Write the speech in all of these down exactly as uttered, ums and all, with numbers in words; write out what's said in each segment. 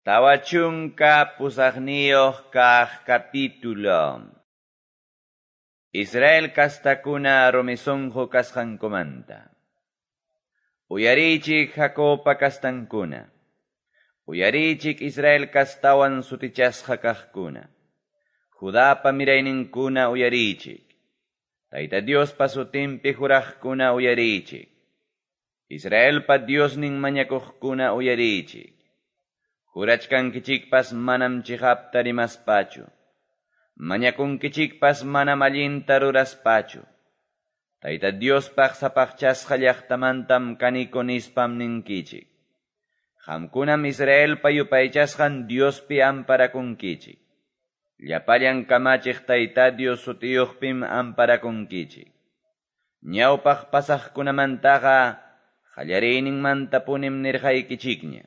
Tawa chunka pusaqniyuq kaq capítulo. Israel kastakuna rumi sunqu kasqankumanta. Uyariychik Jacobpa kastankuna. Uyariychik Israel kastawan sutichasqa kaqkuna. Judapa mirayninkuna uyariychik. Tayta Diospa sutinpi juraqkuna uyariychik. Israelpa Diosnin mañakuqkuna uyariychik. Jurachkankichikpas manam chiqapta rimaspachu. Mañakunkichikpas manam allinta ruraspachu. Tayta Diospaq sapaqchasqa llaqtamantam kaniko nispam ninkichik. Qamkunam Israelpa yupaychasqan Diospi amparakunkichik. Llapallan kamachiq Tayta Dios sutiyuqpim amparakunkichik. Ñawpaq pasaqkunamantaqa qallariyninmantapunim nirqaykichikña.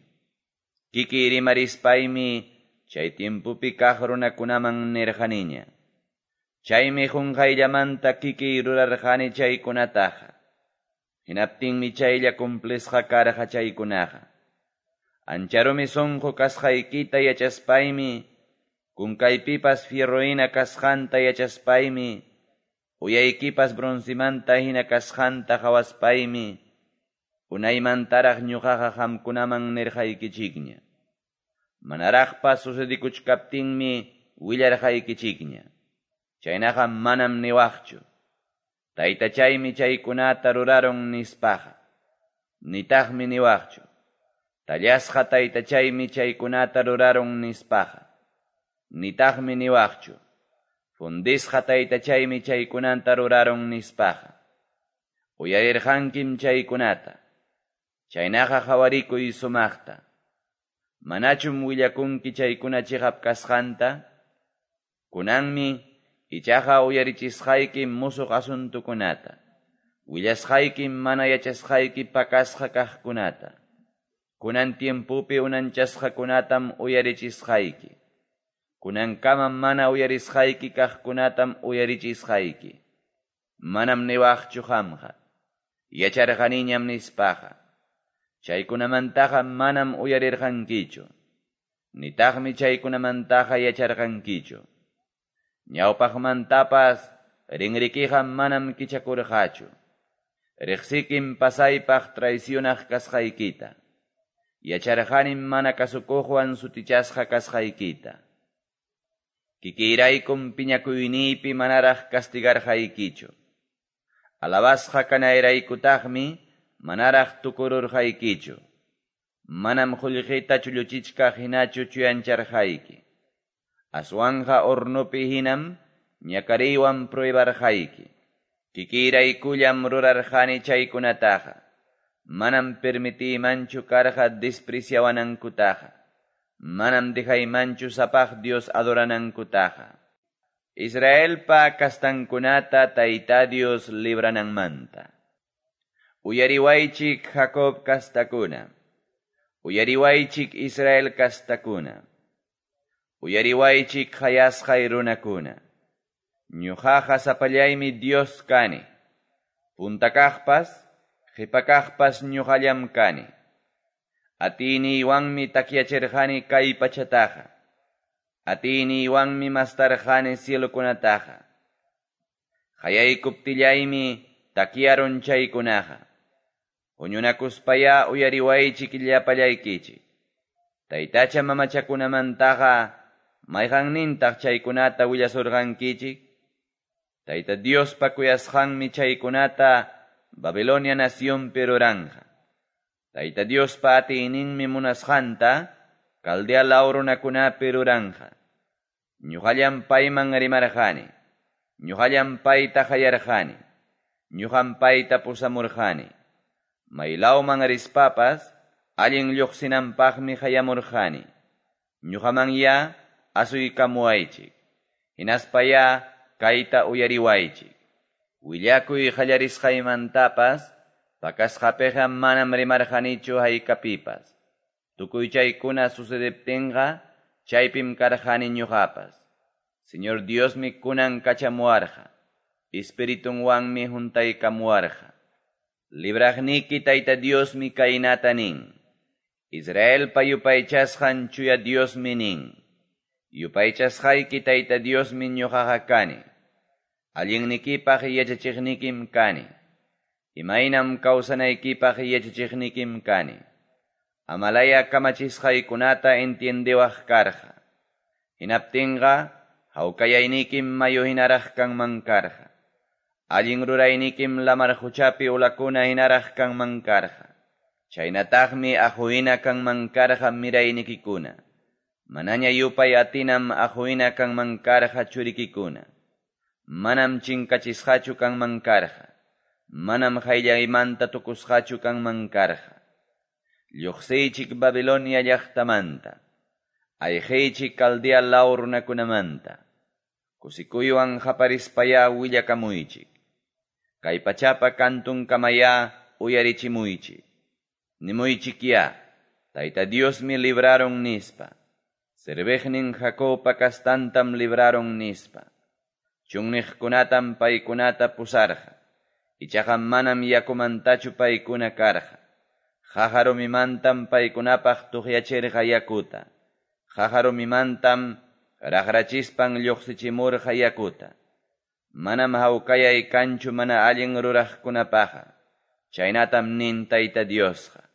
Kiki rimarispaymi chay tiempopi kaq runakunaman nirqaniña. Chaymi qunqayllamanta kiki rurarqani chaykunataqa. Hinaptinmi chaylla cumplisqa karqa chaykunaqa. Ancha rumi sunqu kasqaykita yachaspaymi, kunkaypipas fierrohina kasqanta yachaspaymi, uyaykipas broncimanta hina kasqanta qawaspaymi, unaymantaraq ñuqaqa qamkunaman nirqaykichikña. Manaraqpas sucedikuchkaptinmi willarqaykichikña. Chaynaqa manam niwaqchu. Taytachaymi chaykunata rurarun nispaqa. Nitaqmi niwaqchu. Tallasqa taytachaymi chaykunata rurarun nispaqa. Nitaqmi niwaqchu. Fundisqa taytachaymi chaykunata rurarun nispaqa. Uyarirqankim chaykunata. Chaynaqa qawarikuy sumaqta. Manachum willakunki chaykuna chiqap kasqanta? Kunanmi ichaqa uyarichisqayki musuq asuntukunata. Willasqayki mana yachasqayki pakasqa kaqkunata. Kunan tiempopi unanchasqakunatam uyarichisqayki. Kunankama mana uyarisqayki kaqkunatam uyarichisqayki. Manam niwaqchu qamqa. Yacharqaniñam nispaqa. Chaykunamantaqa manam uyarirqankichu. Nitaqmi chaykunamantaqa yacharqankichu. Ñawpaqmantapas rinrikiqa manam kichakurqachu. Riqsikim pasaypaq traicionaq kasqaykita. Yacharqanim mana kasukuqwan sutichasqa kasqaykita. Kikiyraykum piñakuyniypi manaraq castigarqaykichu. Alabasqa kanayraykutataqmi manaraq tukururqaykichu. Manam qullqita chulluchichkaq hinachu chuyancharqayki. Aswanqa hornopi hinam ñakariywan pruebarqayki. Kikiyraykullam rurarqani chaykunataqa. Manam permitiymanchu karqa despreciawanankutaqa. Manam dejaymanchu sapaq Dios adoranankutaqa. Israelpa kastankunata Tayta Dios librananmanta. Uyariwaychik Jacob kastakuna. Uyariwaychik Israel kastakuna. Uyariwaychik qayasqay runakuna. Ñuqaqa sapallaymi Dios kani. Punta kaqpas, qipa kaqpas ñuqallam kani. Atiniywanmi takyachirqani kay pachataqa. Atiniywanmi mastarqani cielokunataqa. Qayaykuptillaymi takyarun chaykunaqa. Huñunakuspaya uyariwaychik llapallaykichik. Taytacha mamachakunamantaqa mayqannintaq chaykunata willasurqankichik? Tayta Diospa kuyasqanmi chaykunata Babilonia nacionpi ruranqa. Tayta Diospa atiyninmi munasqanta Caldea law runakunapi ruranqa. Ñuqallam payman rimarqani. Ñuqallam payta qayarqani. Ñuqam payta pusamurqani. Maylawman rispapas allin lluqsinanpaqmi qayamurqani. Ñuqamanya asuykamuwaychik. Hinaspaya kayta uyariwaychik. Willakuy qallarisqaymantapas pakasqapiqa manam rimarqanichu haykapipas. Tukuy chaykuna sucediptinqa chaypim karqani ñuqapas. Señor Diosmi kunan kachamuwarqa. Espiritunwanmi huntaykamuwarqa. Libraqniki Tayta Diosmi kaynata nin. Israelpa yupaychasqan Chuya Diosmi nin, Yupaychasqayki Tayta Diosmi ñoqaqa kani. Allinnikipaq yachachiqnikim kani. Imaynam kawsanaykipaq yachachiqnikim kani. Amalaya kamachisqaykunata entiendewaq karqa. Hinaptinqa hawkayaynikim mayu hinaraq kanman karqa. Allin ruraynikim lamar quchapi olakuna hinaraq kanman karqa. Chaynataqmi aqu hina kanman karqa miraynikikuna. Manaña yupay atinam aqu hina kanman karqa churikikuna. Manam chinkachisqachu kanman karqa. Manam qayllaymanta tukusqachu kanman karqa. Lluqsiychik Babilonia llaqtamanta. Ayqiychik Caldea law runakunamanta. Kusikuywan qaparispayá willakamuychik. Kay pachapa kantunkamayá uyarichimuychik. Nimuychikyá, Tayta Diosmi librarun nispa. Serviqnin Jacobpa kastantam librarun nispa. Chunniqkunatam paykunata pusarqa. Ichaqa manam yakumantachu paykuna karqa. Qaqa rumimantam paykunapaq tuqyachirqa yakuta. Qaqa rumimantam raqrachispan lluqsichimurqa yakuta. Manam hawkayay kanchu mana allin ruraqkunapaqqa. Chaynatam nin Tayta Diosqa.